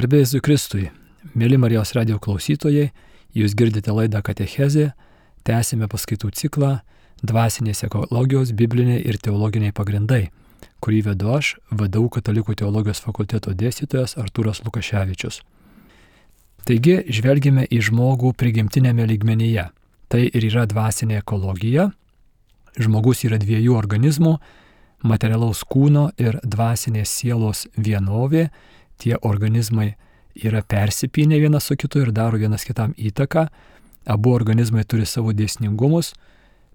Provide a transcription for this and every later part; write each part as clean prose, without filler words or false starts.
Garbė Jėzui Kristui, mėly Marijos radijo klausytojai, jūs girdite laidą Katechezė, tęsime paskaitų ciklą Dvasinės ekologijos, bibliniai ir teologiniai pagrindai, kurį vedu aš, VDU Katalikų teologijos fakulteto dėstytojas Artūras Lukaševičius. Taigi, žvelgime į žmogų prigimtinėme lygmenyje. Tai ir yra dvasinė ekologija. Žmogus yra dviejų organizmų, materialaus kūno ir dvasinės sielos vienovė. Tie organizmai yra persipynę vienas su kitu ir daro vienas kitam įtaką. Abu organizmai turi savo dėsningumus,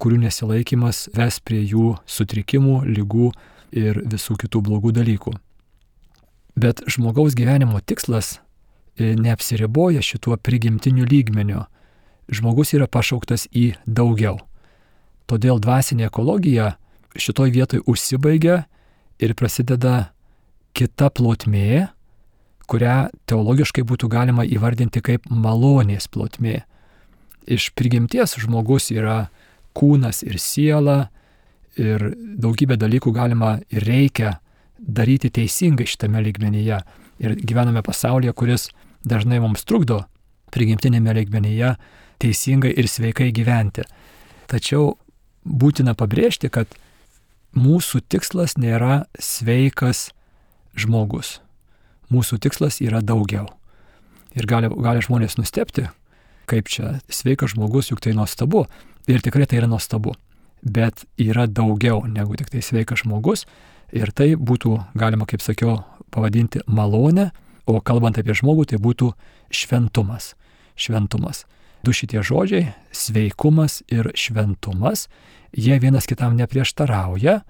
kurių nesilaikymas ves prie jų sutrikimų, ligų ir visų kitų blogų dalykų. Bet žmogaus gyvenimo tikslas neapsiriboja šituo prigimtiniu lygmeniu. Žmogus yra pašauktas į daugiau. Todėl dvasinė ekologija šitoj vietoj užsibaigia ir prasideda kita plotmė, kurią teologiškai būtų galima įvardinti kaip malonės plotmė. Iš prigimties žmogus yra kūnas ir siela ir daugybę dalykų galima ir reikia daryti teisingai šitame lygmenyje. Ir gyvename pasaulyje, kuris dažnai mums trukdo prigimtinėme lygmenyje teisingai ir sveikai gyventi. Tačiau būtina pabrėžti, kad mūsų tikslas nėra sveikas žmogus. Mūsų tikslas yra daugiau. Ir gali žmonės nustebti, kaip čia sveikas žmogus, juk tai nuostabu. Ir tikrai tai yra nuostabu. Bet yra daugiau negu tik tai sveikas žmogus. Ir tai būtų, galima, kaip sakiau, pavadinti malonę. O kalbant apie žmogų, tai būtų šventumas. Šventumas. Du šitie žodžiai - sveikumas ir šventumas. Jie vienas kitam neprieštarauja,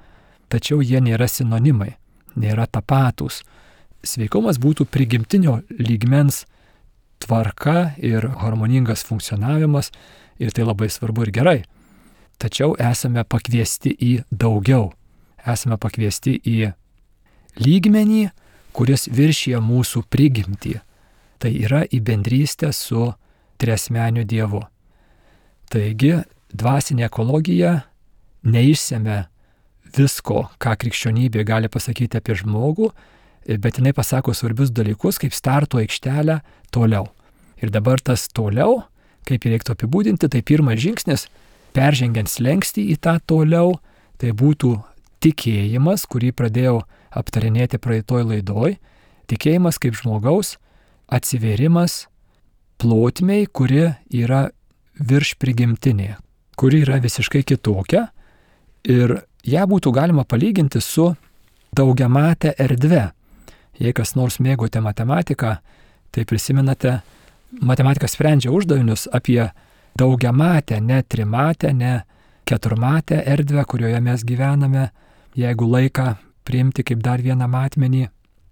tačiau jie nėra sinonimai, nėra tapatūs. Sveikumas būtų prigimtinio lygmens tvarka ir harmoningas funkcionavimas ir tai labai svarbu ir gerai. Tačiau esame pakviesti į daugiau. Esame pakviesti į lygmenį, kuris viršija mūsų prigimtį. Tai yra į bendrystę su triasmeniu Dievu. Taigi, dvasinė ekologija neišsemia visko, ką krikščionybė gali pasakyti apie žmogų, bet jinai pasako svarbius dalykus, kaip starto aikštelę toliau. Ir dabar tas toliau, kaip jį reiktų apibūdinti, tai pirmas žingsnis, peržengiant slenkstį į tą toliau, tai būtų tikėjimas, kurį pradėjau aptarinėti praeitoj laidoj, tikėjimas kaip žmogaus atsivėrimas plotmei, kuri yra virš prigimtinė, kuri yra visiškai kitokia ir ją būtų galima palyginti su daugiamate erdve. Jei kas nors mėgote matematiką, tai prisimenate, matematika sprendžia uždavinius apie daugiamatę, ne trimatę, ne keturmatę erdvę, kurioje mes gyvename, jeigu laiką priimti kaip dar vieną matmenį,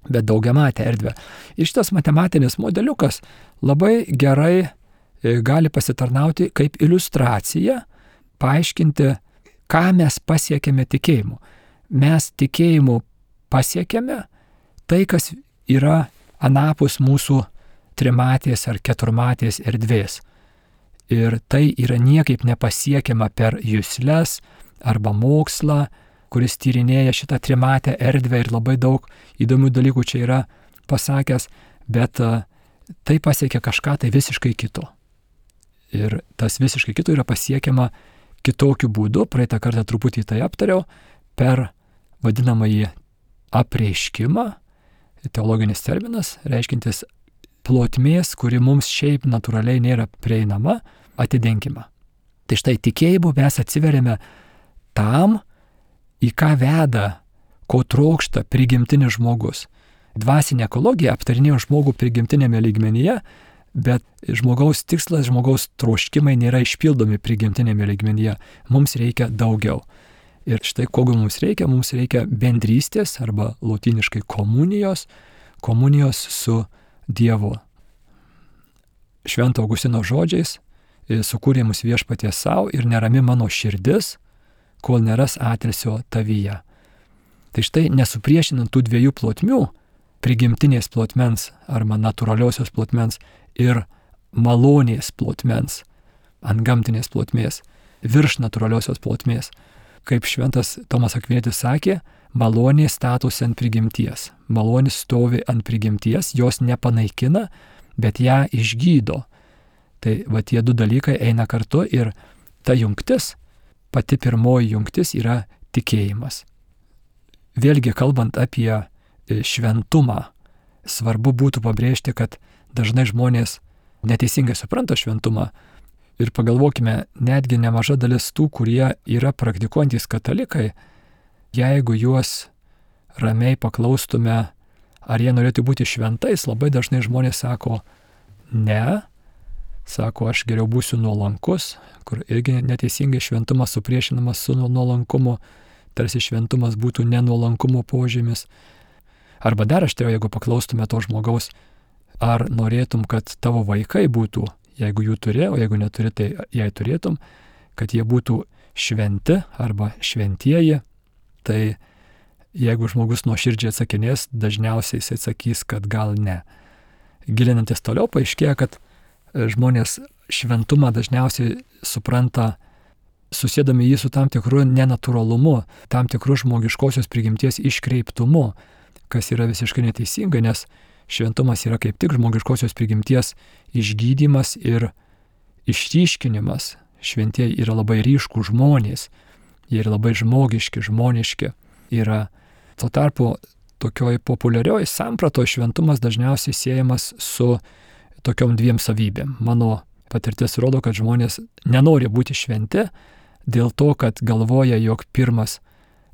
bet daugiamatę erdvę. Ir šitas matematinis modeliukas labai gerai gali pasitarnauti kaip iliustracija, paaiškinti, ką mes pasiekėme tikėjimu. Mes tikėjimu pasiekėme tai, kas yra anapus mūsų trimatės ar keturmatės erdvės. Ir tai yra niekaip nepasiekiama per jusles arba mokslą, kuris tyrinėja šitą trimatę erdvę ir labai daug įdomių dalykų čia yra pasakęs, bet tai pasiekia kažką tai visiškai kito. Ir tas visiškai kito yra pasiekiama kitokiu būdu, praeitą kartą truputį tai aptariau, per vadinamąjį apreiškimą, teologinis terminas, reiškintis plotmės, kuri mums šiaip natūraliai nėra prieinama, atidengimą. Tai štai tikėjimu mes atsiveriame tam, į ką veda, ko trokšta prigimtinis žmogus. Dvasinė ekologija aptarinėjo žmogų prigimtinėme lygmenyje, bet žmogaus tikslas, žmogaus troškimai nėra išpildomi prigimtinėme lygmenyje. Mums reikia daugiau. Ir štai kogo mums reikia bendrystės arba lotyniškai komunijos su Dievu. Švento Augustino žodžiais, sukūrė mus viešpaties savo ir nerami mano širdis, kol neras atilsio tavyje. Tai štai nesupriešinant tų dviejų plotmių, prigimtinės plotmens arba natūraliosios plotmens ir malonės plotmens, antgamtinės plotmės, virš natūraliosios plotmės. Kaip šventas Tomas Akvinietis sakė, malonė statosi ant prigimties. Malonė stovi ant prigimties, jos nepanaikina, bet ją išgydo. Tai va tie du dalykai eina kartu ir ta jungtis, pati pirmoji jungtis yra tikėjimas. Vėlgi kalbant apie šventumą, svarbu būtų pabrėžti, kad dažnai žmonės neteisingai supranta šventumą. Ir pagalvokime, netgi nemaža dalis tų, kurie yra praktikuojantys katalikai, jeigu juos ramiai paklaustume, ar jie norėtų būti šventais, labai dažnai žmonės sako, ne, sako, aš geriau būsiu nuolankus, kur irgi neteisingai šventumas supriešinamas su nuolankumu, tarsi šventumas būtų nenuolankumo požymis. Arba dar aštriau, jeigu paklaustume to žmogaus, ar norėtum, kad tavo vaikai būtų, jeigu jų turi, o jeigu neturi, tai jei turėtum, kad jie būtų šventi arba šventieji, tai jeigu žmogus nuoširdžiai atsakinės, dažniausiai jis atsakys, kad gal ne. Gilinantis toliau, paaiškėja, kad žmonės šventumą dažniausiai supranta, susėdami jį su tam tikru nenatūralumu, tam tikru žmogiškosios prigimties iškreiptumu, kas yra visiškai neteisinga, nes šventumas yra kaip tik žmogiškosios prigimties išgydymas ir išryškinimas. Šventieji yra labai ryškų žmonės, jie yra labai žmogiški, žmoniški. Yra tuo tarpu tokioj populiarioji sampratoje šventumas dažniausiai siejamas su tokiom dviem savybėm. Mano patirtis rodo, kad žmonės nenori būti šventi dėl to, kad galvoja, jog pirmas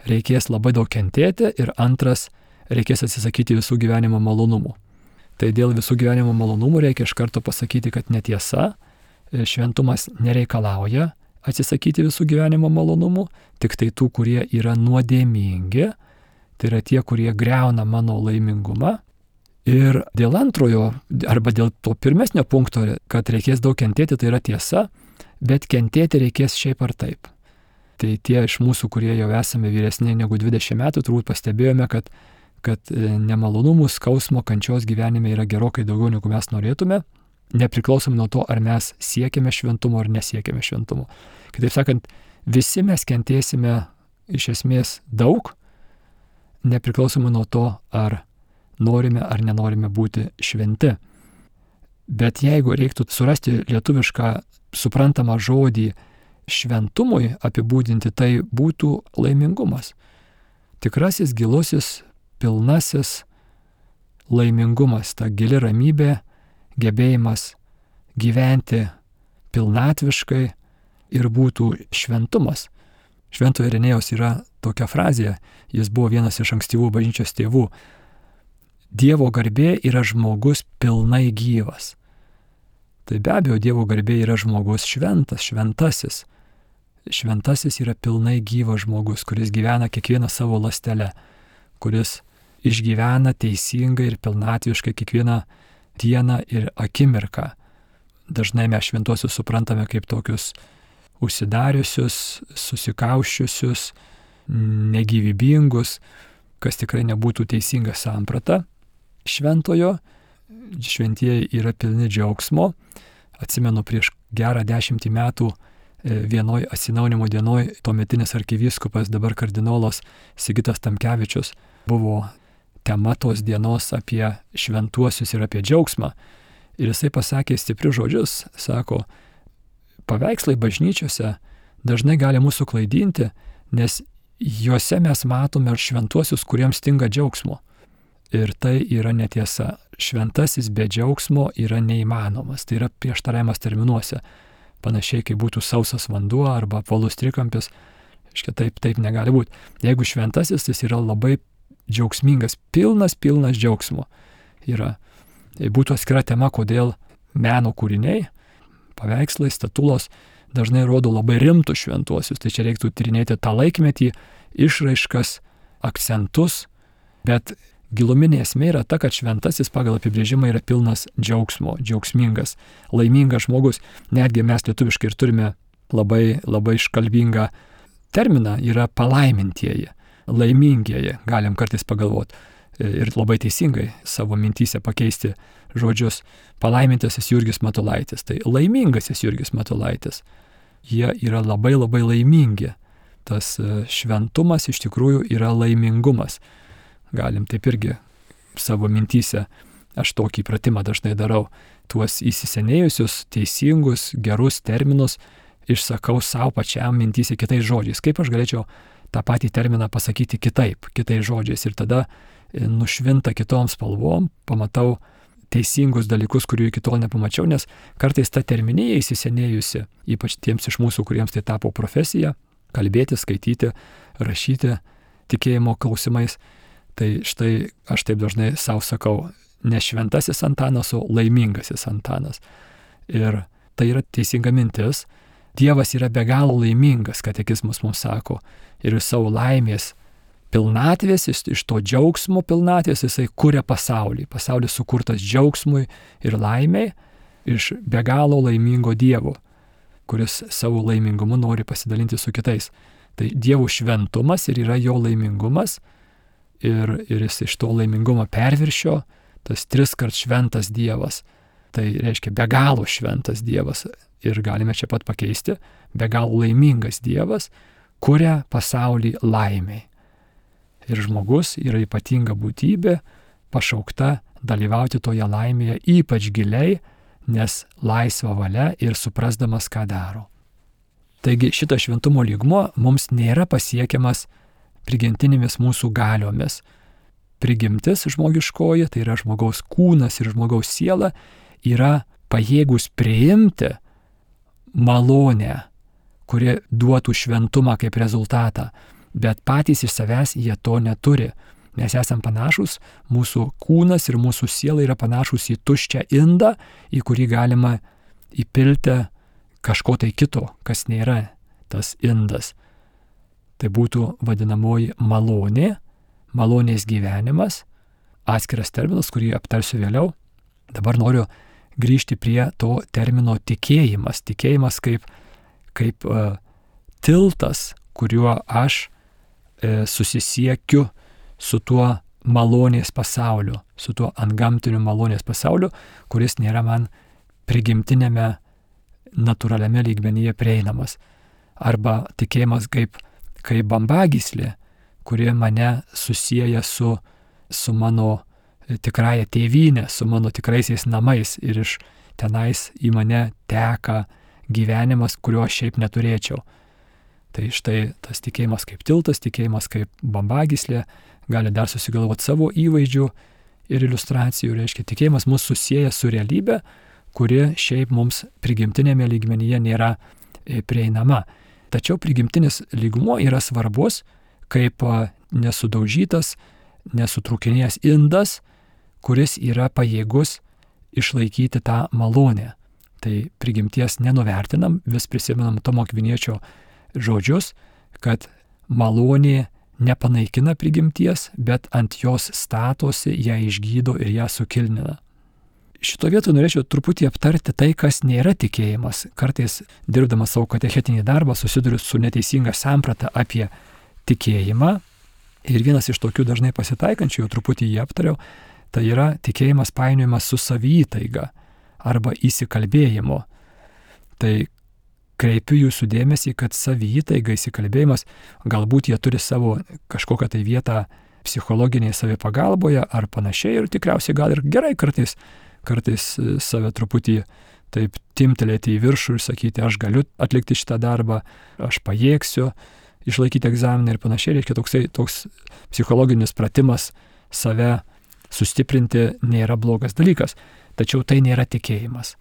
reikės labai daug kentėti ir antras reikės atsisakyti visų gyvenimo malonumų. Tai dėl visų gyvenimo malonumų reikia iš karto pasakyti, kad netiesa, šventumas nereikalauja atsisakyti visų gyvenimo malonumų, tik tai tų, kurie yra nuodėmingi, tai yra tie, kurie griauna mano laimingumą. Ir dėl antrojo, arba dėl to pirmesnio punkto, kad reikės daug kentėti, tai yra tiesa, bet kentėti reikės šiaip ar taip. Tai tie iš mūsų, kurie jau esame vyresni negu 20 metų, turbūt pastebėjome, kad nemalonumų, skausmo, kančios gyvenime yra gerokai daugiau, negu mes norėtume, nepriklausomai nuo to, ar mes siekiame šventumo ar nesiekime šventumo. Kitaip sakant, visi mes kentėsime iš esmės daug, nepriklausomai nuo to, ar norime ar nenorime būti šventi. Bet jeigu reiktų surasti lietuvišką suprantamą žodį šventumui apibūdinti, tai būtų laimingumas. Tikrasis, gilusis, pilnasis laimingumas, ta gili ramybė, gebėjimas gyventi pilnatviškai ir būtų šventumas. Šventojo Irenėjaus yra tokia frazė, jis buvo vienas iš ankstyvų bažnyčios tėvų. Dievo garbė yra žmogus pilnai gyvas. Tai be abejo, Dievo garbė yra žmogus šventas, šventasis. Šventasis yra pilnai gyvas žmogus, kuris gyvena kiekvieną savo ląstelę, kuris išgyvena teisingai ir pilnatviškai kiekvieną dieną ir akimirką. Dažnai mes šventuosius suprantame kaip tokius užsidariusius, susikauščiusius, negyvybingus, kas tikrai nebūtų teisinga samprata šventojo. Šventieji yra pilni džiaugsmo. Atsimenu, prieš gerą 10 metų vienoj atsinaujinimo dienoj tuometinis arkivyskupas, dabar kardinolas Sigitas Tamkevičius, buvo tema tos dienos apie šventuosius ir apie džiaugsmą. Ir jisai pasakė stiprius žodžius, sako, paveikslai bažnyčiose dažnai gali mūsų klaidinti, nes juose mes matome šventuosius, kuriems stinga džiaugsmo. Ir tai yra netiesa. Šventasis be džiaugsmo yra neįmanomas. Tai yra prieštaravimas terminuose. Panašiai, kaip būtų sausas vanduo arba apvalus trikampis. Taip negali būti. Jeigu šventasis, jis yra labai džiaugsmingas, pilnas džiaugsmo. Būtų atskira tema, kodėl meno kūriniai, paveikslai, statulos dažnai rodo labai rimtus šventuosius. Tai čia reiktų tyrinėti tą laikmetį, išraiškas, akcentus, bet giluminė esmė yra ta, kad šventasis pagal apibrėžimą yra pilnas džiaugsmo, džiaugsmingas, laimingas žmogus. Netgi mes lietuviškai ir turime labai iškalbingą terminą, yra palaimintieji, laimingieji, galim kartais pagalvoti. Ir labai teisingai savo mintyse pakeisti žodžius. Palaimintasis Jurgis Matulaitis, tai laimingasis Jurgis Matulaitis. Jie yra labai laimingi. tas šventumas iš tikrųjų yra laimingumas. Galim taip irgi savo mintyse, aš tokį pratimą dažnai darau, tuos įsisenėjusius, teisingus, gerus terminus išsakau savo pačiam mintyse kitais žodžiais. Kaip aš galėčiau tą patį terminą pasakyti kitaip, kitais žodžiais, ir tada nušvinta kitom spalvom, pamatau teisingus dalykus, kurių iki tol nepamačiau, nes kartais ta terminija įsisenėjusi, ypač tiems iš mūsų, kuriems tai tapo profesija, kalbėti, skaityti, rašyti tikėjimo klausimais, tai štai aš taip dažnai savo sakau, ne šventasis Antanas, o laimingasis Antanas. Ir tai yra teisinga mintis. Dievas yra be galo laimingas, katekizmas mums sako, ir iš savo laimės pilnatvės, iš to džiaugsmo pilnatvės jisai kuria pasaulį. Pasaulis sukurtas džiaugsmui ir laimiai iš be galo laimingo Dievo, kuris savo laimingumu nori pasidalinti su kitais. Tai Dievo šventumas ir yra jo laimingumas, ir jis iš to laimingumo perviršio, tas 3-kart šventas Dievas. Tai reiškia be galo šventas Dievas, ir galime čia pat pakeisti, be galo laimingas Dievas kuria pasaulį laimiai. Ir žmogus yra ypatinga būtybė, pašaukta dalyvauti toje laimėje ypač giliai, nes laisva valia ir suprasdamas, ką daro. Taigi šitas šventumo lygmuo mums nėra pasiekiamas prigimtinėmis mūsų galiomis. Prigimtis žmogiškoji, tai yra žmogaus kūnas ir žmogaus siela, yra pajėgus priimti malonę, kuri duotų šventumą kaip rezultatą, bet patys iš savęs jie to neturi. Mes esam panašus, mūsų kūnas ir mūsų siela yra panašus į tuščią indą, į kurį galima įpilti kažko tai kito, kas nėra tas indas. Tai būtų vadinamoji malonė, malonės gyvenimas, atskiras terminas, kurį aptarsiu vėliau. Dabar noriu grįžti prie to termino tikėjimas. Tikėjimas kaip tiltas, kuriuo aš susisiekiu su tuo malonės pasauliu, su tuo antgamtiniu malonės pasauliu, kuris nėra man prigimtinėme, natūraliame lygmenyje prieinamas. Arba tikėjimas kaip bambagyslė, kuri mane susieja su mano tikrąja tėvynė, su mano tikraisiais namais, ir iš tenais į mane teka gyvenimas, kurio aš šiaip neturėčiau. Tai štai tas tikėjimas kaip tiltas, tikėjimas kaip bambagyslė, gali dar susigalvoti savo įvaizdžių ir iliustracijų. Reiškia, tikėjimas mus susieja su realybė, kuri šiaip mums prigimtinėme lygmenyje nėra prieinama. Tačiau prigimtinis lygmuo yra svarbus kaip nesudaužytas, nesutrukinėjęs indas, kuris yra pajėgus išlaikyti tą malonę. Tai prigimties nenuvertinam, vis prisimenam Tomo Akviniečio žodžius, kad malonė nepanaikina prigimties, bet ant jos statosi, ją išgydo ir ją sukilnina. Šito vietoje norėčiau truputį aptarti tai, kas nėra tikėjimas. Kartais, dirbdamas savo katechetinį darbą, susiduriu su neteisinga samprata apie tikėjimą. Ir vienas iš tokių dažnai pasitaikančių, jau truputį jį aptariau, tai yra tikėjimas painiojimas su saviįtaiga arba įsikalbėjimu. Tai kreipiu jūsų dėmesį, kad saviįtaiga, įsikalbėjimas, galbūt jie turi savo kažkokią tai vietą psichologinėje savipagalboje ar panašiai, ir tikriausiai gal ir gerai kartais save truputį taip timtelėti į viršų ir sakyti, aš galiu atlikti šitą darbą, aš pajėgsiu išlaikyti egzaminą ir panašiai. Reiškia, toks psichologinis pratimas save sustiprinti nėra blogas dalykas. Tačiau tai nėra tikėjimas.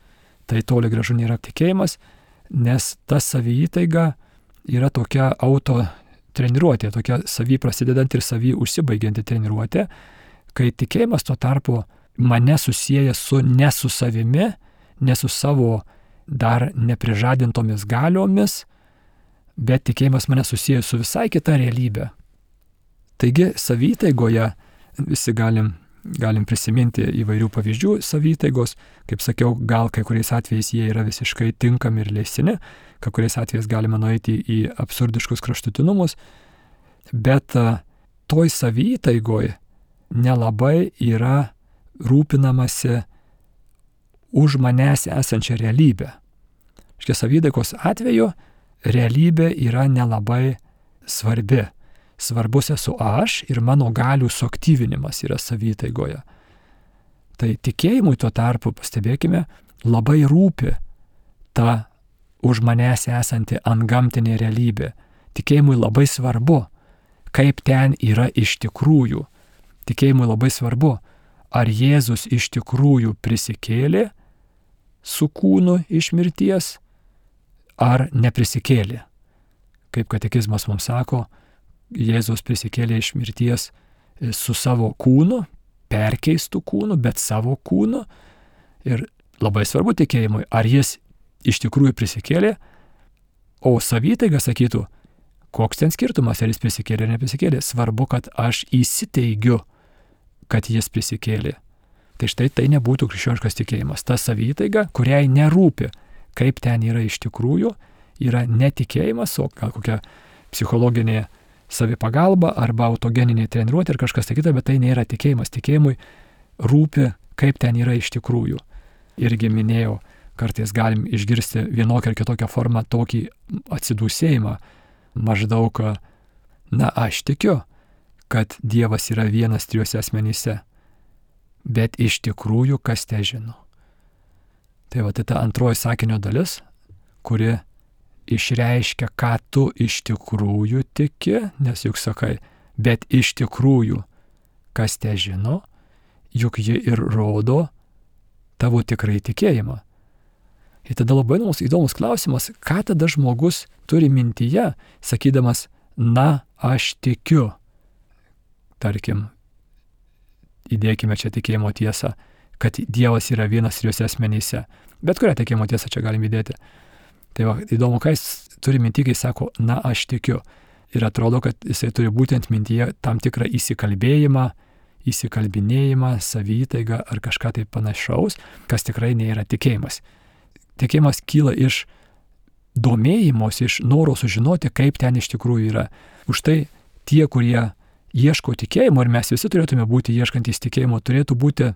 Tai toli gražu nėra tikėjimas, nes ta saviįtaiga yra tokia auto treniruotė, tokia savy prasidedanti ir savy užsibaigianti treniruotė, kai tikėjimas tuo tarpu mane susieja ne su savimi, ne su savo dar neprižadintomis galiomis, bet tikėjimas mane susieja su visai kita realybė. Taigi saviįtaigoje visi galim prisiminti įvairių pavyzdžių saviįtaigos. Kaip sakiau, gal kai kuriais atvejais jie yra visiškai tinkami ir leistini, kai kuriais atvejais galima nueiti į absurdiškus kraštutinumus, bet toj saviįtaigoj nelabai yra rūpinamasi už manęs esančią realybę. Škia saviįtaigos atveju realybė yra nelabai svarbi. Svarbus esu aš ir mano galių suaktyvinimas yra saviįtaigoje. Tai tikėjimui tuo tarpu, pastebėkime, labai rūpi ta už manęs esanti antgamtinė realybė. Tikėjimui labai svarbu, kaip ten yra iš tikrųjų. Tikėjimui labai svarbu, ar Jėzus iš tikrųjų prisikėlė su kūnu iš mirties, ar neprisikėlė. Kaip katekizmas mums sako, Jėzus prisikėlė iš mirties su savo kūnu, perkeistų kūnu, bet savo kūnu. Ir labai svarbu tikėjimui, ar jis iš tikrųjų prisikėlė, o saviįtaiga sakytų, koks ten skirtumas, ar jis prisikėlė ar neprisikėlė. Svarbu, kad aš įsiteigiu, kad jis prisikėlė. Tai štai tai nebūtų krikščioniškas tikėjimas. Ta saviįtaiga, kuriai nerūpi, kaip ten yra iš tikrųjų, yra netikėjimas, o gal kokia psichologinė savipagalba arba autogeninė treniruotė ir kažkas tai kita, bet tai nėra tikėjimas. Tikėjimui rūpi, kaip ten yra iš tikrųjų. Irgi minėjau, kartais galim išgirsti vienokią ar kitokią formą tokį atsidūsėjimą. Maždaug, aš tikiu, kad Dievas yra vienas trijuose asmenyse, bet iš tikrųjų kas te žino. Tai va, tai ta antroji sakinio dalis, kuri išreiškia, ką tu iš tikrųjų tiki, nes juk sakai, bet iš tikrųjų kas te žino, juk ji ir rodo tavo tikrai tikėjimą. Ir tada labai įdomus klausimas, ką tada žmogus turi mintyje, sakydamas, aš tikiu. Tarkim, įdėkime čia tikėjimo tiesą, kad Dievas yra vienas trijuose asmenyse. Bet kurią tikėjimo tiesą čia galim įdėti. Tai va, įdomu, ką jis turi minty, kai sako, aš tikiu. Ir atrodo, kad jisai turi būtent mintyje tam tikrą įsikalbėjimą, įsikalbinėjimą, saviįtaigą ar kažką tai panašaus, kas tikrai nėra tikėjimas. Tikėjimas kyla iš domėjimos, iš noro sužinoti, kaip ten iš tikrųjų yra. Už tai tie, kurie ieško tikėjimo, ir mes visi turėtume būti ieškantys tikėjimo, turėtų būti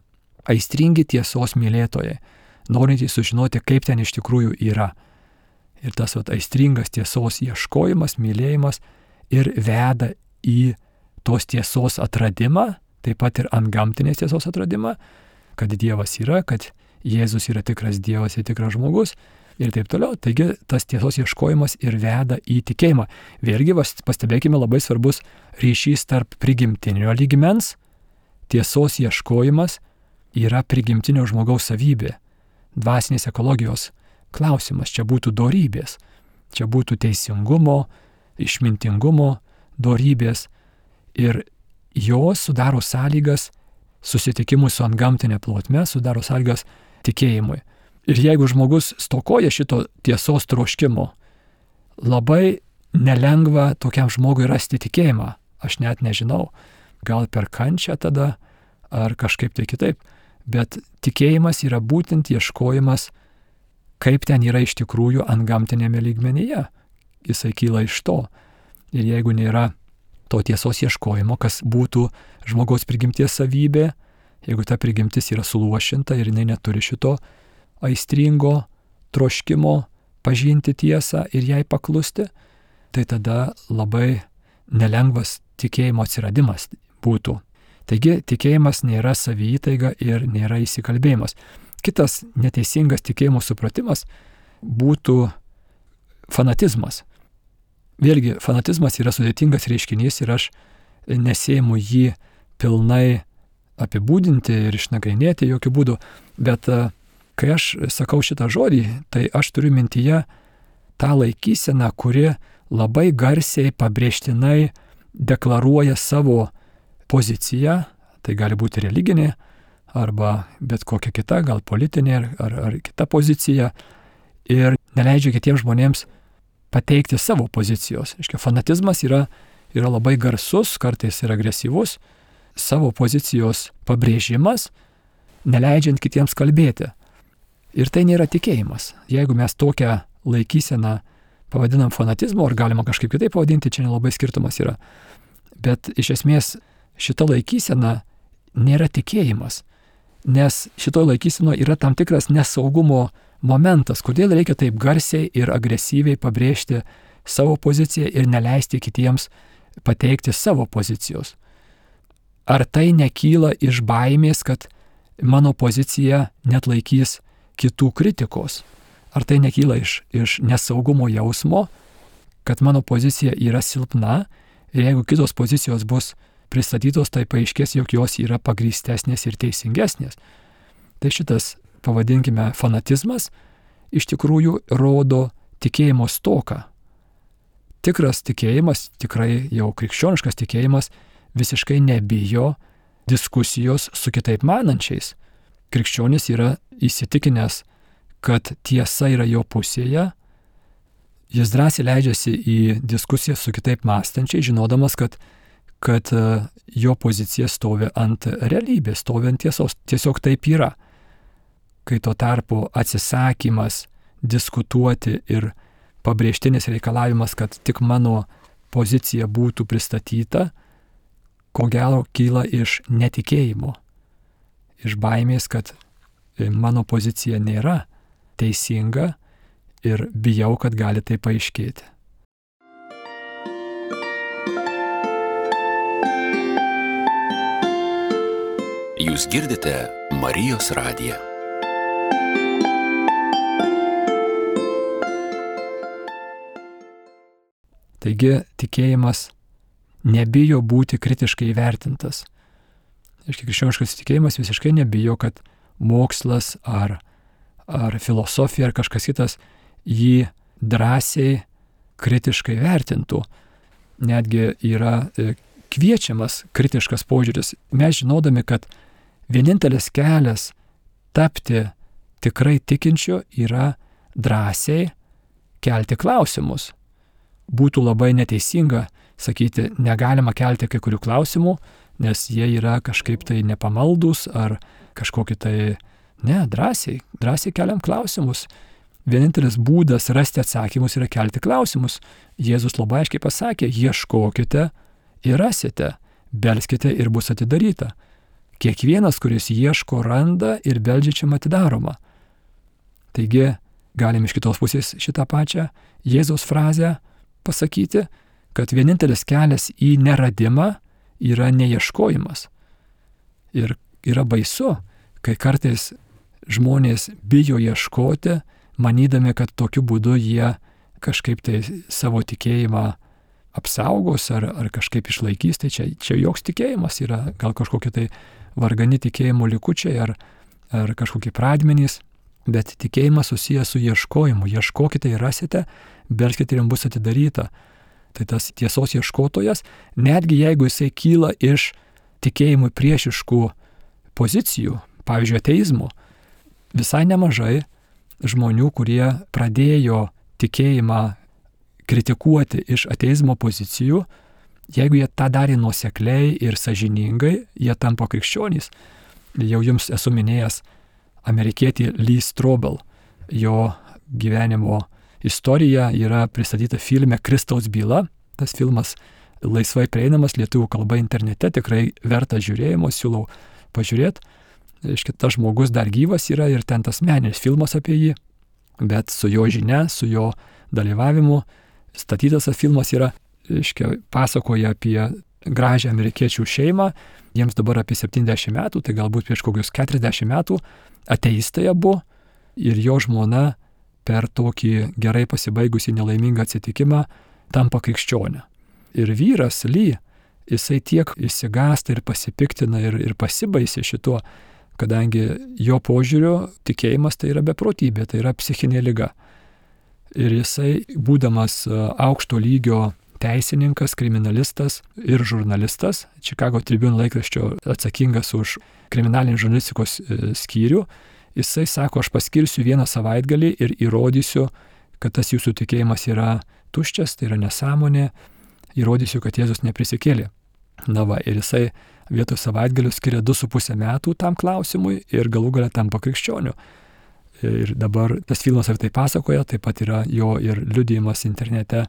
aistringi tiesos mylėtojai, norintys sužinoti, kaip ten iš tikrųjų yra. Ir tas aistringas tiesos ieškojimas, mylėjimas ir veda į tos tiesos atradimą, taip pat ir antgamtinės tiesos atradimą, kad Dievas yra, kad Jėzus yra tikras Dievas ir tikras žmogus ir taip toliau. Taigi tas tiesos ieškojimas ir veda į tikėjimą. Vėlgi pastebėkime labai svarbus ryšys tarp prigimtinio lygmens. Tiesos ieškojimas yra prigimtinio žmogaus savybė, dvasinės ekologijos klausimas. Čia būtų dorybės, čia būtų teisingumo, išmintingumo dorybės ir jos sudaro sąlygas susitikimui su antgamtinė plotme, sudaro sąlygas tikėjimui. Ir jeigu žmogus stokoja šito tiesos troškimo, labai nelengva tokiam žmogui rasti tikėjimą. Aš net nežinau, gal per kančią tada, ar kažkaip tai kitaip. Bet tikėjimas yra būtent ieškojimas, kaip ten yra iš tikrųjų antgamtinėme lygmenyje. Jisai kyla iš to. Ir jeigu nėra to tiesos ieškojimo, kas būtų žmogaus prigimties savybė, jeigu ta prigimtis yra suluošinta ir jinai neturi šito aistringo troškimo pažinti tiesą ir jai paklusti, tai tada labai nelengvas tikėjimo atsiradimas būtų. Taigi tikėjimas nėra saviįtaiga ir nėra įsikalbėjimas. Kitas neteisingas tikėjimo supratimas būtų fanatizmas. Vėlgi, fanatizmas yra sudėtingas reiškinys ir aš nesėimu jį pilnai apibūdinti ir išnagrinėti jokių būdų, bet kai aš sakau šitą žodį, tai aš turiu mintyje tą laikyseną, kuri labai garsiai pabrėžtinai deklaruoja savo poziciją, tai gali būti religinė arba bet kokia kita, gal politinė ar kita pozicija, ir neleidžia kitiems žmonėms pateikti savo pozicijos. Fanatizmas yra labai garsus, kartais ir agresyvus, savo pozicijos pabrėžimas, neleidžiant kitiems kalbėti. Ir tai nėra tikėjimas. Jeigu mes tokią laikyseną pavadinam fanatizmu, ar galima kažkaip kitaip pavadinti, čia nelabai skirtumas yra. Bet iš esmės šita laikysena nėra tikėjimas, nes šitoje laikysenoje yra tam tikras nesaugumo momentas, kodėl reikia taip garsiai ir agresyviai pabrėžti savo poziciją ir neleisti kitiems pateikti savo pozicijos. Ar tai nekyla iš baimės, kad mano pozicija netlaikys kitų kritikos? Ar tai nekyla iš nesaugumo jausmo, kad mano pozicija yra silpna ir jeigu kitos pozicijos bus pristatytos, tai paaiškės, jog jos yra pagrįstesnės ir teisingesnės. Tai šitas, pavadinkime, fanatizmas iš tikrųjų rodo tikėjimo stoką. Tikras tikėjimas, tikrai jau krikščioniškas tikėjimas, visiškai nebijo diskusijos su kitaip manančiais. Krikščionis yra įsitikinęs, kad tiesa yra jo pusėje. Jis drąsiai leidžiasi į diskusiją su kitaip mąstančiai, žinodamas, kad jo pozicija stovi ant realybės, stovi ant tiesos. Tiesiog taip yra. Kai tuo tarpu atsisakymas diskutuoti ir pabrėžtinis reikalavimas, kad tik mano pozicija būtų pristatyta, ko gero kyla iš netikėjimo, iš baimės, kad mano pozicija nėra teisinga ir bijau, kad gali tai paaiškėti. Jūs girdite Marijos radiją. Taigi tikėjimas nebijo būti kritiškai įvertintas. Krikščioniškas tikėjimas visiškai nebijo, kad mokslas ar filosofija ar kažkas kitas jį drąsiai kritiškai vertintų. Netgi yra kviečiamas kritiškas požiūris. Mes žinodami, kad vienintelis kelias tapti tikrai tikinčiu yra drąsiai kelti klausimus. Būtų labai neteisinga sakyti, negalima kelti kai kurių klausimų, nes jie yra kažkaip tai nepamaldus ar kažkokie tai, drąsiai keliam klausimus. Vienintelis būdas rasti atsakymus yra kelti klausimus. Jėzus labai aiškiai pasakė, ieškokite ir rasite, belskite ir bus atidaryta. Kiekvienas, kuris ieško, randa ir beldžiačiam atidaroma. Taigi, galim iš kitos pusės šitą pačią Jėzaus frazę pasakyti, kad vienintelis kelias į neradimą yra neieškojimas. Ir yra baisu, kai kartais žmonės bijo ieškoti, manydami, kad tokiu būdu jie kažkaip tai savo tikėjimą apsaugos ar kažkaip išlaikys. Tai čia joks tikėjimas yra, gal kažkokie tai vargani tikėjimo likučiai ar kažkokie pradmenys, bet tikėjimas susijęs su ieškojimu. Ieškokite ir rasite, belskite ir jums bus atidaryta. Tai tas tiesos ieškotojas, netgi jeigu jisai kyla iš tikėjimui priešiškų pozicijų, pavyzdžiui, ateizmo, visai nemažai žmonių, kurie pradėjo tikėjimą kritikuoti iš ateizmo pozicijų, jeigu jie tą darė nuosekliai ir sąžiningai, jie tampa krikščionys. Jau jums esu minėjęs amerikietį Lee Strobel. Jo gyvenimo istorija yra pristatyta filme Kristaus byla. Tas filmas laisvai prieinamas lietuvių kalba internete, tikrai vertas žiūrėjimo, siūlau pažiūrėti. Tas žmogus dar gyvas yra ir ten tas meninis filmas apie jį, bet su jo žinia, su jo dalyvavimu statytas tas filmas yra, pasakoja apie gražią amerikiečių šeimą, jiems dabar apie 70 metų, tai galbūt prieš kokius 40 metų ateistai abu ir jo žmona per tokį gerai pasibaigusį nelaimingą atsitikimą tampa krikščionė. Ir vyras Lee, jisai tiek išsigąsta ir pasipiktina ir pasibaisė šituo, kadangi jo požiūrio tikėjimas tai yra beprotybė, tai yra psichinė liga. Ir jisai, būdamas aukšto lygio teisininkas, kriminalistas ir žurnalistas, Chicago Tribune laikraščio atsakingas už kriminalinės žurnalistikos skyrių, jisai sako, aš paskirsiu vieną savaitgalį ir įrodysiu, kad tas jūsų tikėjimas yra tuščias, tai yra nesąmonė, įrodysiu, kad Jėzus neprisikėlė. Ir jisai vietoj savaitgalių skiria 2,5 metų tam klausimui ir galų gale tampa krikščioniu. Ir dabar tas filmas apie tai pasakoja, taip pat yra jo ir liudijimas internete,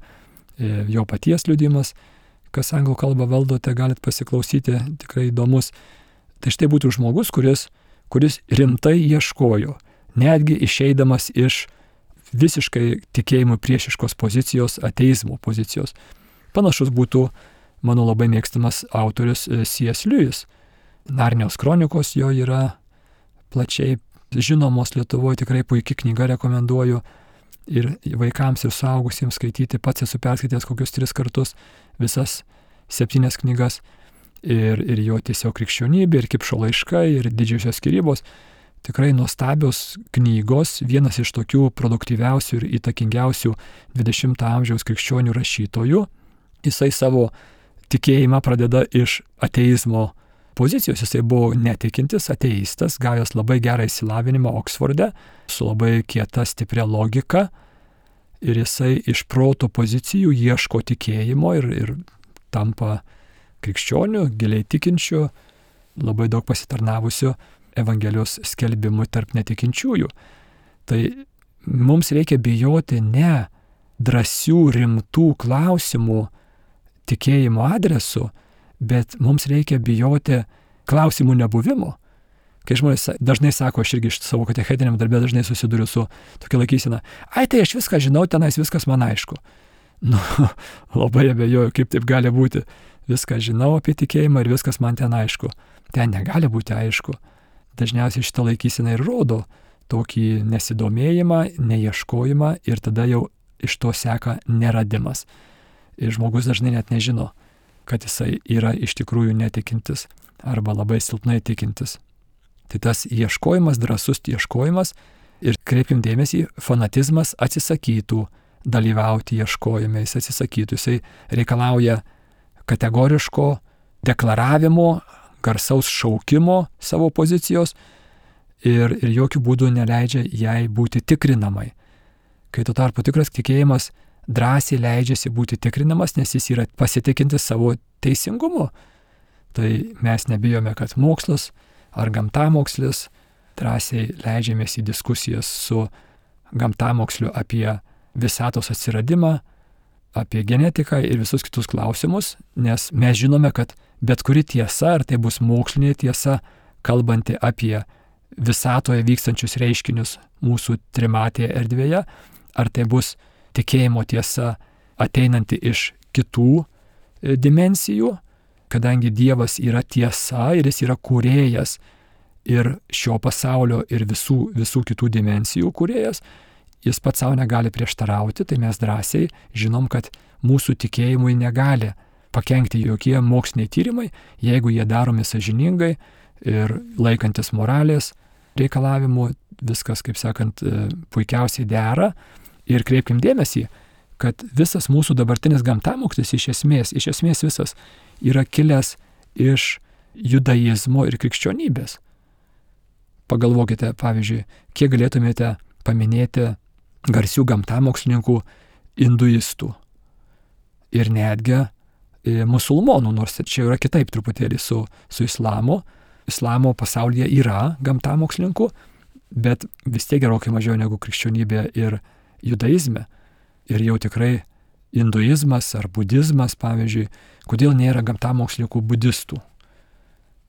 jo paties liudijimas, kas anglų kalbą valdote, galit pasiklausyti, tikrai įdomus. Tai štai būtų žmogus, kuris rimtai ieškojo, netgi išeidamas iš visiškai tikėjimui priešiškos pozicijos, ateizmo pozicijos. Panašus būtų mano labai mėgstamas autorius C.S. Lewis. Narnijos kronikos jo yra plačiai žinomos Lietuvoje, tikrai puikia knyga, rekomenduoju ir vaikams ir suaugusiems skaityti. Pats esu perskaitęs kokius 3 kartus visas 7 knygas ir jo tiesiog krikščionybė, ir Kipšo laiškai, ir didžiosios skyrybos. Tikrai nuostabios knygos, vienas iš tokių produktyviausių ir įtakingiausių 20 amžiaus krikščionių rašytojų. Jisai savo tikėjimą pradeda iš ateizmo pozicijos. Jisai buvo netikintis ateistas, gavęs labai gerą išsilavinimą Oksforde, su labai kieta stipria logika. Ir jisai iš proto pozicijų ieško tikėjimo ir tampa krikščionių, giliai tikinčių, labai daug pasitarnavusių Evangelijos skelbimui tarp netikinčiųjų. Tai mums reikia bijoti ne drąsių, rimtų klausimų tikėjimo adresu, bet mums reikia bijoti klausimų nebuvimo. Kai žmonės dažnai sako, aš irgi iš savo katechetiniam darbė dažnai susiduriu su tokia laikysena, tai aš viską žinau, tenais viskas man aišku. Labai abejoju, kaip taip gali būti. Viską žinau apie tikėjimą ir viskas man ten aišku. Ten negali būti aišku. Dažniausiai šitą laikyseną ir rodo tokį nesidomėjimą, neieškojimą ir tada jau iš to seka neradimas. Ir žmogus dažnai net nežino, kad jisai yra iš tikrųjų netikintis arba labai silpnai tikintis. Tai tas ieškojimas, drąsus ieškojimas ir kreipim dėmesį, fanatizmas atsisakytų dalyvauti ieškojime, jis atsisakytų, jisai reikalauja kategoriško deklaravimo, garsaus šaukimo savo pozicijos ir jokių būdų neleidžia jai būti tikrinamai. Kai tuo tarpu tikras tikėjimas drąsiai leidžiasi būti tikrinamas, nes jis yra pasitikintis savo teisingumu. Tai mes nebijome, kad mokslas ar gamtamokslis, drąsiai leidžiamės į diskusijas su gamtamoksliu apie visatos atsiradimą, apie genetiką ir visus kitus klausimus, nes mes žinome, kad bet kuri tiesa, ar tai bus mokslinė tiesa, kalbanti apie visatoje vykstančius reiškinius mūsų trimatėje erdvėje, ar tai bus tikėjimo tiesa ateinanti iš kitų dimensijų, kadangi Dievas yra tiesa ir jis yra kūrėjas ir šio pasaulio ir visų kitų dimensijų kūrėjas, jis pats savo negali prieštarauti, tai mes drąsiai žinom, kad mūsų tikėjimui negali pakenkti jokie moksliniai tyrimai, jeigu jie daromi sąžiningai ir laikantis moralės reikalavimų, viskas, kaip sakant, puikiausiai dera. Ir kreipkim dėmesį, kad visas mūsų dabartinis gamtamokslis iš esmės visas yra kilęs iš judaizmo ir krikščionybės. Pagalvokite, pavyzdžiui, kiek galėtumėte paminėti garsių gamtamokslininkų hinduistų ir netgi musulmonų, nors čia yra kitaip truputėlį su islamu. Islamo pasaulyje yra gamtamokslininkų, bet vis tiek gerokai mažiau negu krikščionybė ir judaizme. Ir jau tikrai hinduizmas ar budizmas, pavyzdžiui, kodėl nėra gamtamokslininkų budistų.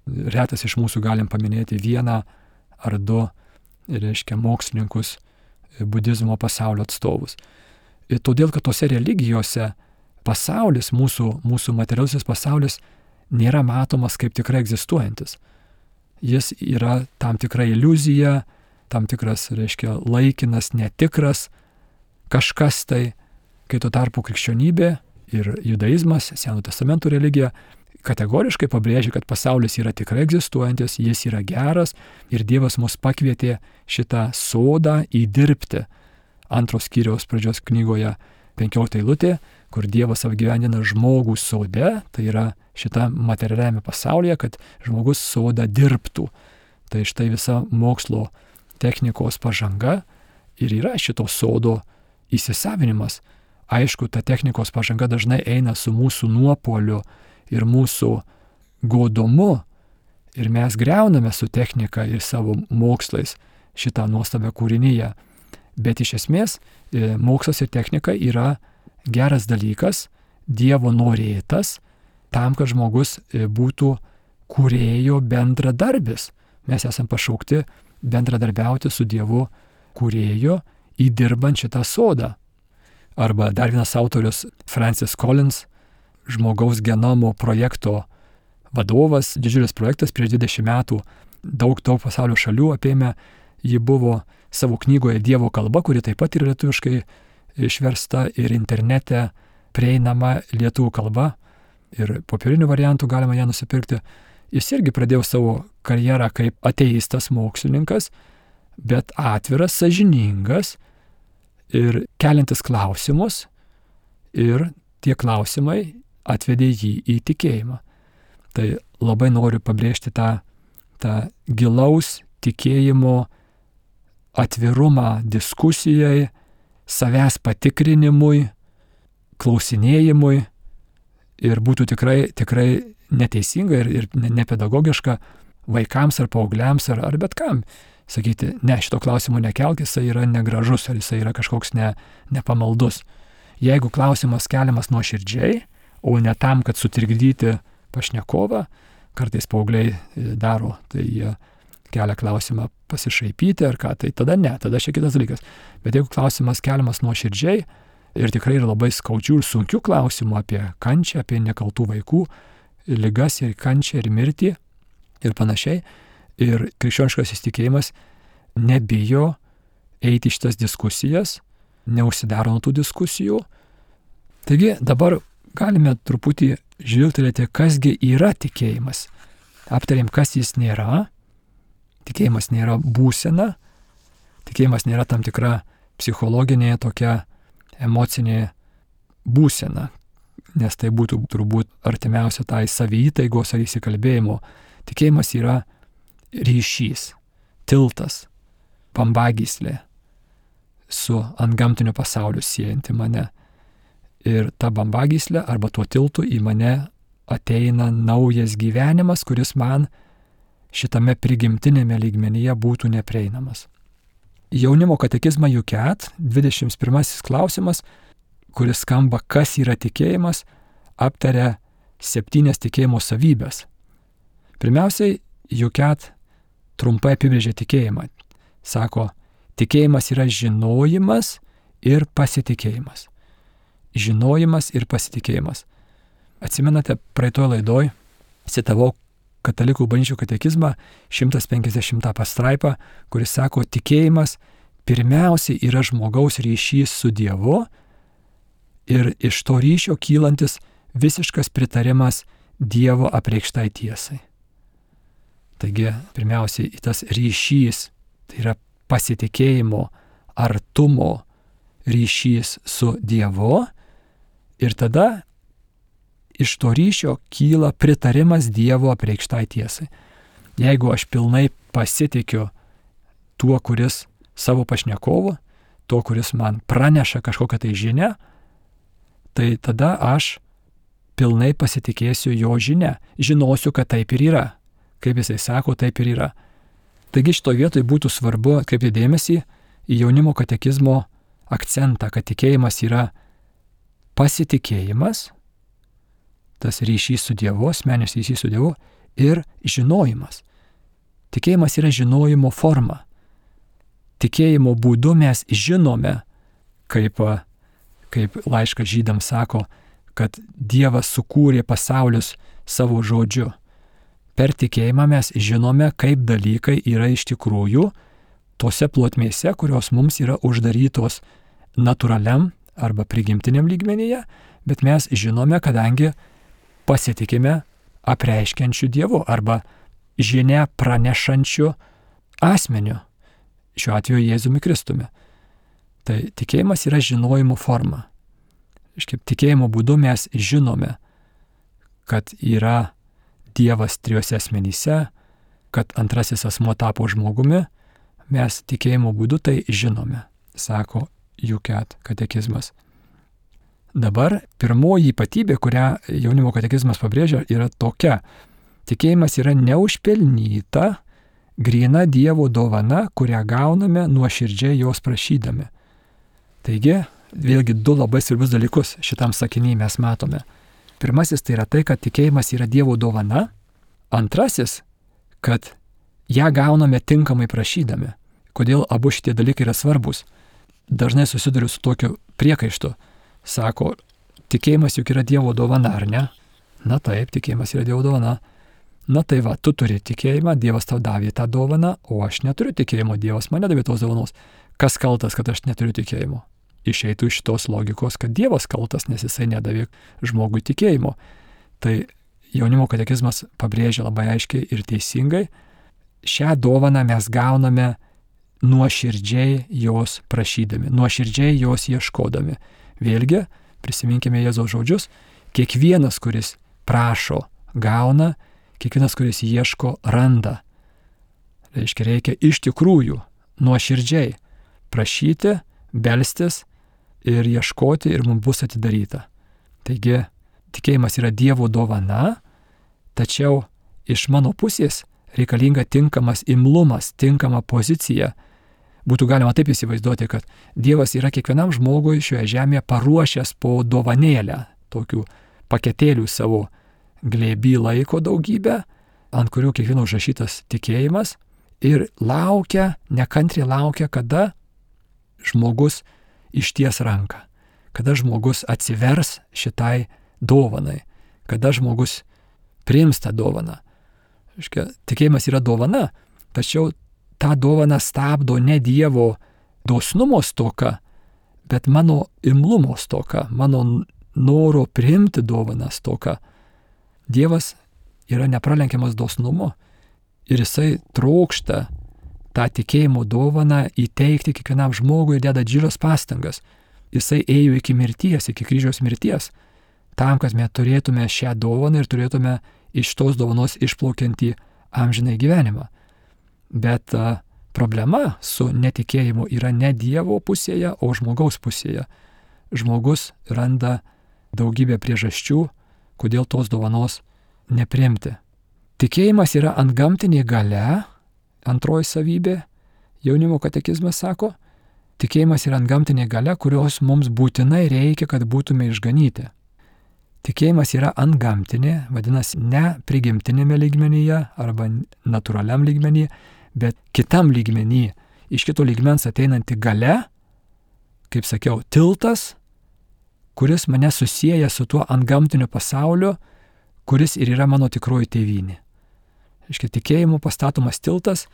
Retas iš mūsų galim paminėti 1 ar 2, reiškia, mokslininkus budizmo pasaulio atstovus. Ir todėl, kad tose religijose pasaulis, mūsų materialusis pasaulis nėra matomas kaip tikrai egzistuojantis. Jis yra tam tikra iliuzija, tam tikras, reiškia, laikinas, netikras, kažkas tai, kai tuo tarpu krikščionybė ir judaizmas, Senojo testamento religija, kategoriškai pabrėžia, kad pasaulis yra tikrai egzistuojantis, jis yra geras ir Dievas mus pakvietė šitą sodą įdirbti. 2 skyriaus pradžios knygoje 15 eilutė, kur Dievas apgyvendina žmogų sode, tai yra šitą materialiame pasaulyje, kad žmogus sodą dirbtų. Tai štai visa mokslo technikos pažanga ir yra šito sodo įsisavinimas. Aišku, ta technikos pažanga dažnai eina su mūsų nuopuoliu ir mūsų godumu ir mes greuname su technika ir savo mokslais šitą nuostabią kūrinyje. Bet iš esmės mokslas ir technika yra geras dalykas, Dievo norėtas, tam, kad žmogus būtų kūrėjo bendradarbis. Mes esam pašaukti bendradarbiauti su Dievu kūrėjo įdirbant šitą sodą. Arba dar vienas autorius Francis Collins, žmogaus genomo projekto vadovas, didžiulis projektas prieš 20 metų, daug pasaulio šalių apėmė, ji buvo savo knygoje Dievo kalba, kuri taip pat yra lietuviškai išversta ir internete prieinama lietuvių kalba ir popierinių variantų galima ją nusipirkti. Jis irgi pradėjo savo karjerą kaip ateistas mokslininkas, bet atviras, sąžiningas ir keliantis klausimus, ir tie klausimai atvedė jį į tikėjimą. Tai labai noriu pabrėžti tą gilaus tikėjimo atvirumą diskusijai, savęs patikrinimui, klausinėjimui, ir būtų tikrai neteisinga ir nepedagogiška vaikams ar paaugliams ar bet kam sakyti, ne, šito klausimo nekelk, jisai yra negražus ar jisai yra kažkoks nepamaldus. Jeigu klausimas keliamas nuoširdžiai, o ne tam, kad sutrikdyti pašnekovą, kartais paaugliai daro, tai jie kelia klausimą pasišaipyti ar ką, tai tada ne, tada šiek kitas dalykas. Bet jeigu klausimas keliamas nuoširdžiai ir tikrai yra labai skaudžių ir sunkių klausimų apie kančią, apie nekaltų vaikų, ligas ir kančią ir mirtį ir panašiai, ir krikščioniškas įsitikėjimas nebijo eiti į šitas diskusijas, neužsidaro nuo tų diskusijų. Taigi dabar galime truputį žvilgtelėti, kasgi yra tikėjimas. Aptarėm, kas jis nėra. Tikėjimas nėra būsena, tikėjimas nėra tam tikra psichologinė tokia emocinė būsena, nes tai būtų turbūt artimiausia tai saviįtaigos ar įsikalbėjimo. Tikėjimas yra ryšys, tiltas, bambagyslė su antgamtiniu pasauliu siejanti mane. Ir ta bambagyslė arba tuo tiltu į mane ateina naujas gyvenimas, kuris man šitame prigimtinėme lygmenyje būtų neprieinamas. Jaunimo katekizmą Juket, 21 klausimas, kuris skamba, kas yra tikėjimas, aptaria 7 tikėjimo savybės. Pirmiausiai, Juket trumpai apibrėžia tikėjimą. Sako, tikėjimas yra žinojimas ir pasitikėjimas. Žinojimas ir pasitikėjimas. Atsimenate, praeitoje laidoj citavau Katalikų bažnyčių katekizmą 150 pastraipą, kuris sako, tikėjimas pirmiausiai yra žmogaus ryšys su Dievu ir iš to ryšio kylantis visiškas pritarimas Dievo apreikštai tiesai. Taigi, pirmiausiai tas ryšys, tai yra pasitikėjimo, artumo ryšys su Dievu ir tada iš to ryšio kyla pritarimas Dievo apreikštai tiesai. Jeigu aš pilnai pasitikiu tuo, kuris savo pašnekovu, tuo, kuris man praneša kažkokią tai žinią, tai tada aš pilnai pasitikėsiu jo žinia. Žinosiu, kad taip ir yra. Kaip jisai sako, taip ir yra. Taigi šitoje vietoje būtų svarbu atkreipti dėmesį į jaunimo katekizmo akcentą, kad tikėjimas yra pasitikėjimas, tas ryšys su Dievu, asmeninis ryšys su Dievu ir žinojimas. Tikėjimas yra žinojimo forma. Tikėjimo būdu mes žinome, kaip laiškas Žydams sako, kad Dievas sukūrė pasaulius savo žodžiu. Per tikėjimą mes žinome, kaip dalykai yra iš tikrųjų tose plotmėse, kurios mums yra uždarytos natūraliam arba prigimtiniam lygmenyje, bet mes žinome, kadangi pasitikime apreiškiančiu Dievu arba žinia pranešančiu asmeniu, šiuo atveju Jėzumi Kristumi. Tai tikėjimas yra žinojimo forma. Tikėjimo būdu mes žinome, kad yra Dievas trijose asmenyse, kad antrasis asmuo tapo žmogumi, mes tikėjimo būdu tai žinome, sako Juket katekizmas. Dabar pirmoji ypatybė, kurią jaunimo katekizmas pabrėžia, yra tokia. Tikėjimas yra neužpelnyta, gryna Dievo dovana, kurią gauname nuoširdžiai jos prašydami. Taigi, vėlgi 2 labai svarbius dalykus šitam sakiny mes matome. Pirmasis tai yra tai, kad tikėjimas yra Dievo dovana. Antrasis, kad ją gauname tinkamai prašydami. Kodėl abu šitie dalykai yra svarbus? dažnai susiduriu su tokiu priekaištu. Sako, tikėjimas juk yra Dievo dovana, ar ne? Na taip, tikėjimas yra Dievo dovana. Na tai va, tu turi tikėjimą, Dievas tau davė tą dovaną, o aš neturiu tikėjimo, Dievas man nedavė tos dovanos. Kas kaltas, kad aš neturiu tikėjimo? Išeitų iš tos logikos, kad Dievas kaltas, nes jisai nedavė žmogui tikėjimo. Tai jaunimo katekizmas pabrėžia labai aiškiai ir teisingai, šią dovaną mes gauname nuoširdžiai jos prašydami, nuoširdžiai jos ieškodami. Vėlgi, prisiminkime Jėzaus žodžius, kiekvienas, kuris prašo, gauna, kiekvienas, kuris ieško, randa. Reiškia iš tikrųjų nuoširdžiai prašyti, belstis ir ieškoti ir mums bus atidaryta. Taigi, tikėjimas yra Dievo dovana, tačiau iš mano pusės reikalinga tinkamas imlumas, tinkama pozicija. Būtų galima taip įsivaizduoti, kad Dievas yra kiekvienam žmogui šioje žemėje paruošęs po dovanėlę, tokių paketėlių savo glėby laiko daugybę, ant kurių kiekvieno užrašytas tikėjimas ir nekantriai laukia, kada žmogus išties ranką, kada žmogus atsivers šitai dovanai, kada žmogus priims tą dovaną. Tikėjimas yra dovana, tačiau tą dovaną stabdo ne Dievo dosnumo stoka, bet mano imlumo stoka, mano noro priimti dovaną stoka. Dievas yra nepralenkiamas dosnumo ir jisai trokšta tą tikėjimo dovaną įteikti kiekvienam žmogui ir deda didžiules pastangas. Jisai ėjo iki mirties, iki kryžiaus mirties, tam, kad mes turėtume šią dovaną ir turėtume iš tos dovanos išplaukiantį amžinai gyvenimą. Bet problema su netikėjimu yra ne Dievo pusėje, o žmogaus pusėje. Žmogus randa daugybę priežasčių, kodėl tos dovanos nepriimti. Tikėjimas yra antgamtinė galia, antroji savybė, jaunimo katekizmas sako, tikėjimas yra antgamtinė galia, kurios mums būtinai reikia, kad būtume išganyti. Tikėjimas yra antgamtinė, vadinasi, ne prigimtinėme lygmenyje arba natūraliam lygmenyje, bet kitam lygmenyje, iš kito lygmens ateinanti galia, kaip sakiau, tiltas, kuris mane susieja su tuo antgamtiniu pasauliu, kuris ir yra mano tikroji tėvynė. Tikėjimu pastatomas tiltas,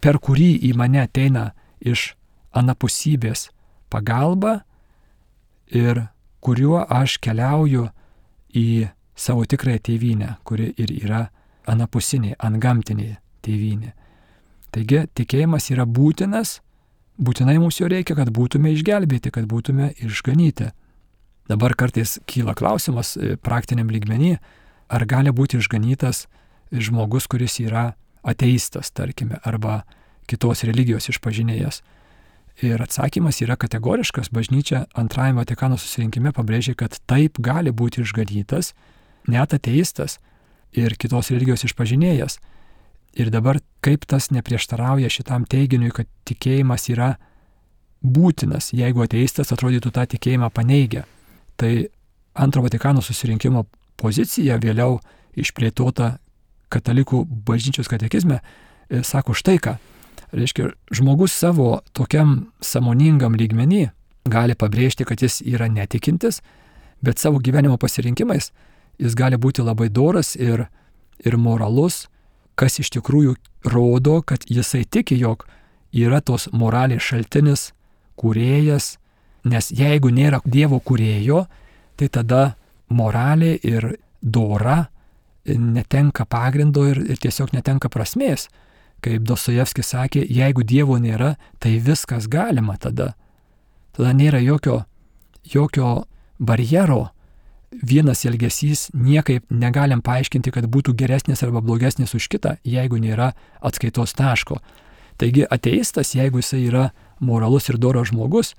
per kurį į mane ateina iš anapusybės pagalba ir kuriuo aš keliauju į savo tikrąją tėvynę, kuri ir yra anapusinė, antgamtinė tėvynė. Taigi tikėjimas yra būtinas, būtinai mums jo reikia, kad būtume išgelbėti, kad būtume išganyti. Dabar kartais kyla klausimas praktiniam lygmenį, ar gali būti išganytas žmogus, kuris yra ateistas, tarkime, arba kitos religijos išpažinėjas. Ir atsakymas yra kategoriškas. Bažnyčia antrajame Vatikano susirinkime pabrėžė, kad taip gali būti išganytas net ateistas ir kitos religijos išpažinėjas. Ir dabar kaip tas neprieštarauja šitam teiginiui, kad tikėjimas yra būtinas, jeigu ateistas atrodytų tą tikėjimą paneigia. Tai antro Vatikano susirinkimo pozicija, vėliau išplėtota katalikų bažnyčios katekizme, sako štai ką. Reiškia, žmogus savo tokiam sąmoningam lygmenį gali pabrėžti, kad jis yra netikintis, bet savo gyvenimo pasirinkimais jis gali būti labai doras ir moralus, kas iš tikrųjų rodo, kad jisai tiki, jog yra tos moralės šaltinis, kūrėjas, nes jeigu nėra Dievo kūrėjo, tai tada moralė ir dora netenka pagrindo ir tiesiog netenka prasmės. Kaip Dostojevskis sakė, jeigu Dievo nėra, tai viskas galima tada. Tada nėra jokio barjero. Vienas elgesys niekaip negalim paaiškinti, kad būtų geresnis arba blogesnis už kitą, jeigu nėra atskaitos taško. Taigi ateistas, jeigu jisai yra moralus ir doras žmogus,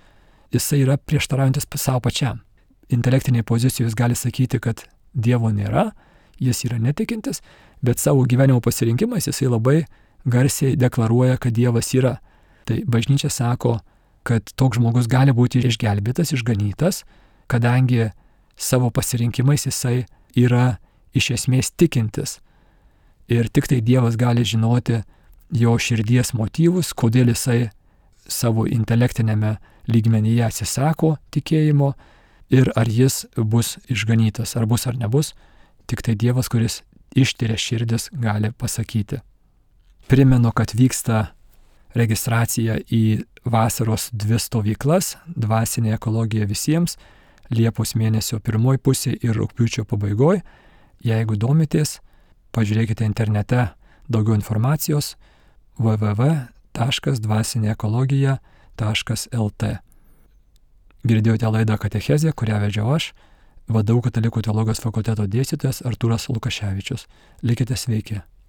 jisai yra prieštaraujantis savo pačiam. Intelektinėje pozicijoje jis gali sakyti, kad Dievo nėra, jis yra netikintis, bet savo gyvenimo pasirinkimais jisai labai garsiai deklaruoja, kad Dievas yra. Tai bažnyčia sako, kad toks žmogus gali būti išgelbėtas, išganytas, kadangi savo pasirinkimais jisai yra iš esmės tikintis. Ir tik tai Dievas gali žinoti jo širdies motyvus, kodėl jisai savo intelektinėme lygmenyje atsisako tikėjimo ir ar jis bus išganytas, ar bus ar nebus, tik tai Dievas, kuris ištiria širdis, gali pasakyti. Primenu, kad vyksta registracija į vasaros 2 stovyklas, dvasinė ekologija visiems, Liepos mėnesio 1 pusė ir rugpjūčio pabaigoje. Jeigu domitės, pažiūrėkite internete daugiau informacijos www.dvasinėekologija.lt. Girdėjote laidą Katechezė, kurią vedžiau aš, VDU Katalikų teologijos fakulteto dėstytojas Artūras Lukaševičius. Likite sveiki.